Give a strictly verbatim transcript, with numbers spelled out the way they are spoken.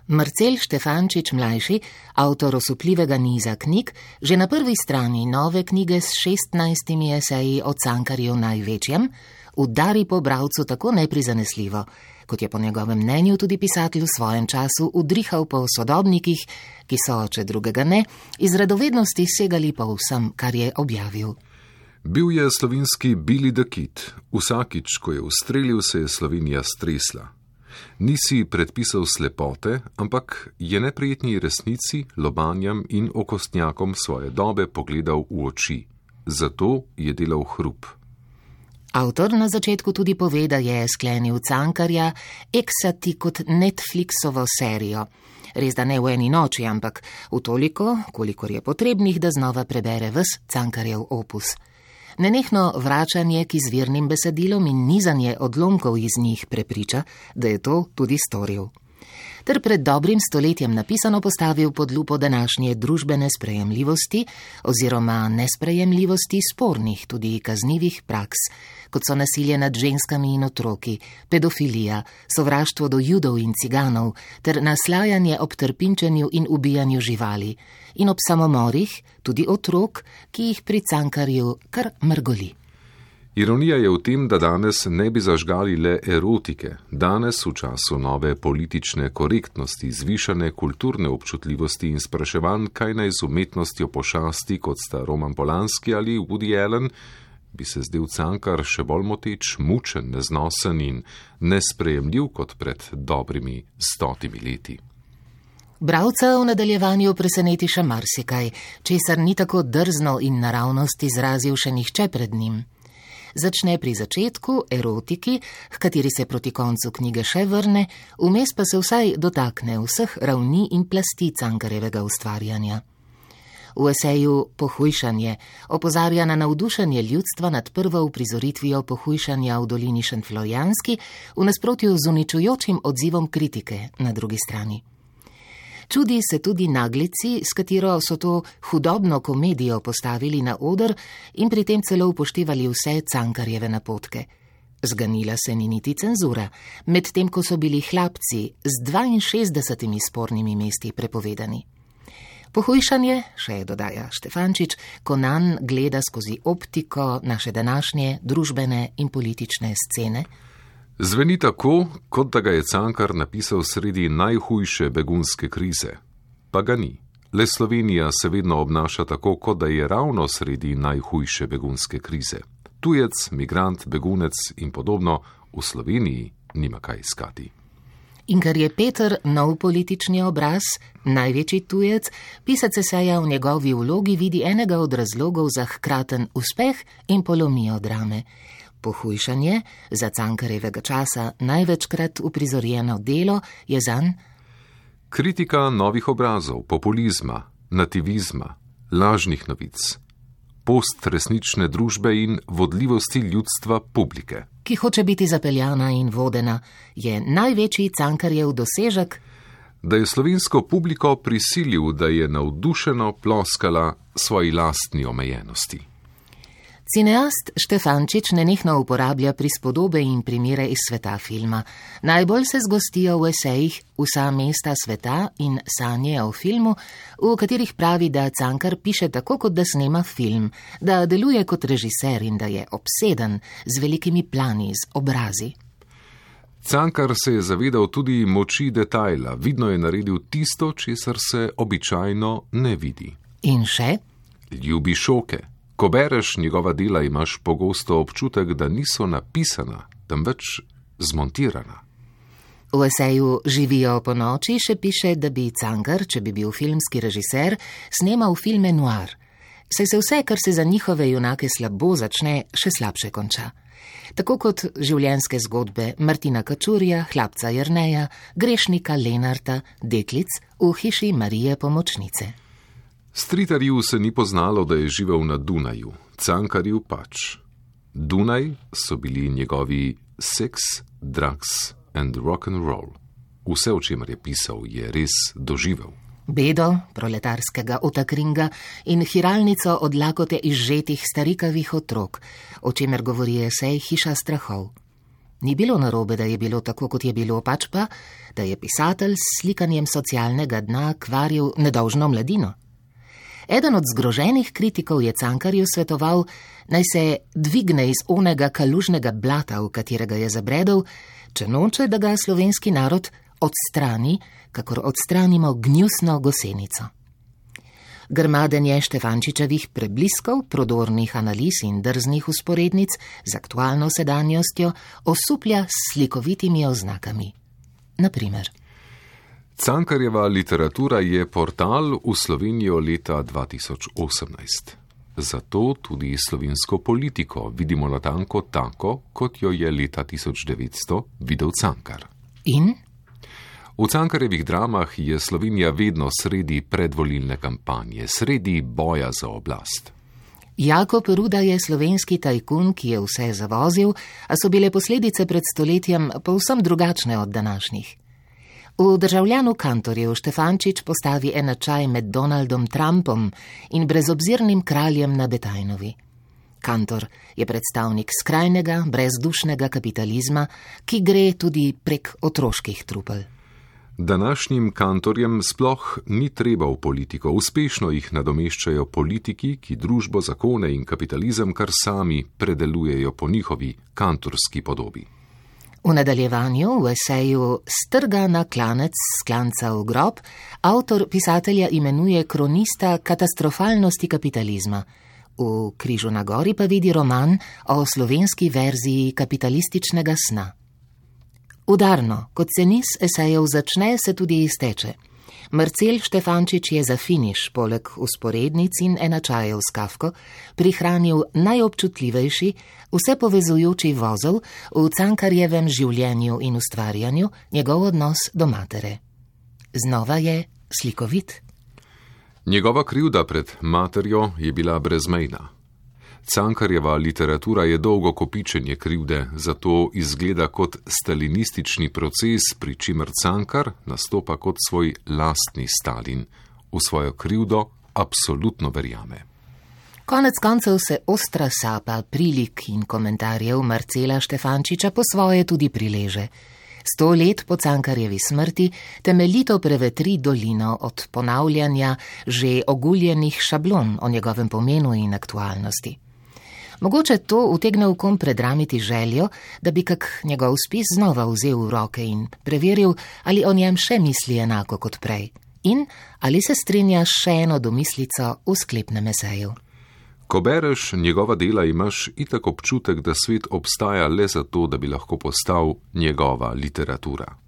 Marcel Štefančič mlajši, avtor osupljivega niza knjig, že na prvi strani nove knjige s šestnajstimi eseji o Cankarju največjem, udari po bralcu tako neprizanesljivo, kot je po njegovem mnenju tudi pisatelj v svojem času udrihal po sodobnikih, ki so, če drugega ne, iz radovednosti segali po vsem, kar je objavil. Bil je slovenski Billy the Kid. Vsakič, ko je ustrelil, se je Slovenija stresla. Nisi predpisal slepote, ampak je neprijetni resnici, lobanjam in okostnjakom svoje dobe pogledal v oči. Zato je delal hrup. Avtor na začetku tudi pove, da je sklenil Cankarja eksati kot Netflixovo serijo. Res da ne v eni noči, ampak v toliko, kolikor je potrebnih, da znova prebere ves Cankarjev opus. Nenehno vračanje k izvirnim besedilom in nizanje odlomkov iz njih prepriča, da je to tudi storil. Ter pred dobrim stoletjem napisano postavil pod lupo današnje družbene sprejemljivosti oziroma nesprejemljivosti spornih, tudi kaznivih praks, kot so nasilje nad ženskami in otroki, pedofilija, sovraštvo do Judov in ciganov ter naslajanje ob trpinčenju in ubijanju živali in ob samomorih, tudi otrok, ki jih pri Cankarju kar mrgoli. Ironija je v tem, da danes ne bi zažgali le erotike, danes v času nove politične korektnosti, zvišane kulturne občutljivosti in spraševanj, kaj naj z umetnostjo pošasti, kot sta Roman Polanski ali Woody Allen, bi se zdel Cankar še bolj moteč, mučen, neznosen in nesprejemljiv kot pred dobrimi stotimi leti. Bralca v nadaljevanju preseneti še marsikaj, česar ni tako drzno in naravnost izrazil še nihče pred njim. Začne pri začetku, erotiki, h kateri se proti koncu knjige še vrne, vmes pa se vsaj dotakne vseh ravni in plasti Cankarjevega ustvarjanja. V eseju Pohujšanje opozarja na navdušenje ljudstva nad prvo uprizoritvijo pohujšanja v dolini Šentflorjanski v nasprotju z uničujočim odzivom kritike na drugi strani. Čudi se tudi naglici, s katero so to hudobno komedijo postavili na oder in pri tem celo upoštevali vse Cankarjeve napotke. Zganila se ni niti cenzura, medtem ko so bili hlapci z dvainšestdesetimi spornimi mesti prepovedani. Pohujšanje, še dodaja Štefančič, ko nanj gleda skozi optiko naše današnje družbene in politične scene, zveni tako, kot da ga je Cankar napisal sredi najhujše begunske krize. Pa ga ni. Le Slovenija se vedno obnaša tako, kot da je ravno sredi najhujše begunske krize. Tujec, migrant, begunec in podobno v Sloveniji nima kaj iskati. In ker je Peter nov politični obraz, največji tujec, pisec eseja v njegovi vlogi vidi enega od razlogov za hkraten uspeh in polomijo drame. Pohujšanje, za Cankarjevega časa največkrat uprizorjeno delo, je zanj kritika novih obrazov, populizma, nativizma, lažnih novic, postresnične družbe in vodljivosti ljudstva publike. Ki hoče biti zapeljana in vodena, je največji Cankarjev dosežek, da je slovensko publiko prisilil, da je navdušeno ploskala svoji lastni omejenosti. Cineast Štefančič nenehno uporablja prispodobe in primere iz sveta filma. Najbolj se zgostijo v esejih Vsa mesta sveta in Sanje o filmu, v katerih pravi, da Cankar piše tako, kot da snema film, da deluje kot režiser in da je obseden z velikimi plani, z obrazi. Cankar se je zavedal tudi moči detajla, vidno je naredil tisto, česar se običajno ne vidi. In še? Ljubi šoke. Ko bereš njegova dela, imaš pogosto občutek, da niso napisana, temveč zmontirana. V eseju Živijo po noči še piše, da bi Cankar, če bi bil filmski režiser, snemal filme noir. Saj se vse, kar se za njihove junake slabo začne, še slabše konča. Tako kot življenjske zgodbe Martina Kačurja, Hlapca Jerneja, grešnika Lenarta, deklic v hiši Marije Pomočnice. Stritarju se ni poznalo, da je živel na Dunaju, Cankarju pač. Dunaj so bili njegovi seks, drugs and rock and roll. Vse, o čemer je pisal, je res doživel. Bedo proletarskega otakringa in hiralnico od lakote izžetih starikavih otrok, o čemer govori esej Hiša strahov. Ni bilo narobe, da je bilo tako, kot je bilo, pač pa, da je pisatelj s slikanjem socialnega dna kvaril nedolžno mladino. Eden od zgroženih kritikov je Cankarju svetoval, naj se dvigne iz onega kalužnega blata, v katerega je zabredel, če noče, da ga slovenski narod odstrani, kakor odstranimo gnjusno gosenico. Grmadenje Štefančičevih prebliskov, prodornih analiz in drznih usporednic z aktualno sedanjostjo osuplja s slikovitimi oznakami. Naprimer, Cankarjeva literatura je portal v Slovenijo leta dva tisoč osemnajst. Zato tudi slovensko politiko vidimo natanko tako, kot jo je leta tisoč devetsto videl Cankar. In? V Cankarjevih dramah je Slovenija vedno sredi predvolilne kampanje, sredi boja za oblast. Jakob Ruda je slovenski tajkun, ki je vse zavozil, a so bile posledice pred stoletjem povsem drugačne od današnjih. V Državljanu Kantorju Štefančič postavi enačaj med Donaldom Trumpom in brezobzirnim kraljem na Betajnovi. Kantor je predstavnik skrajnega, brezdušnega kapitalizma, ki gre tudi prek otroških trupel. Današnjim kantorjem sploh ni treba v politiko, uspešno jih nadomeščajo politiki, ki družbo, zakone in kapitalizem kar sami predelujejo po njihovi kantorski podobi. V nadaljevanju v eseju Strga na klanec s klanca v grob avtor pisatelja imenuje kronista katastrofalnosti kapitalizma. V Križu na gori pa vidi roman o slovenski verziji kapitalističnega sna. Udarno, kot se niz esejev začne, se tudi izteče. Marcel Štefančič je za finiš, poleg usporednic in enačajev s Kafko, prihranil najobčutljivejši, vse povezujoči vozel v Cankarjevem življenju in ustvarjanju, njegov odnos do matere. Znova je slikovit. Njegova krivda pred materjo je bila brezmejna. Cankarjeva literatura je dolgo kopičenje krivde, zato izgleda kot stalinistični proces, pri čimer Cankar nastopa kot svoj lastni Stalin. V svojo krivdo absolutno verjame. Konec koncev se ostra sapa prilik in komentarjev Marcela Štefančiča po svoje tudi prileže. Sto let po Cankarjevi smrti temeljito prevetri dolino od ponavljanja že oguljenih šablon o njegovem pomenu in aktualnosti. Mogoče to utegne v kom predramiti željo, da bi kak njegov spis znova vzel v roke in preveril, ali o njem še misli enako kot prej in ali se strinja še eno domislico v sklepnem eseju. Ko bereš njegova dela, imaš itak občutek, da svet obstaja le zato, da bi lahko postal njegova literatura.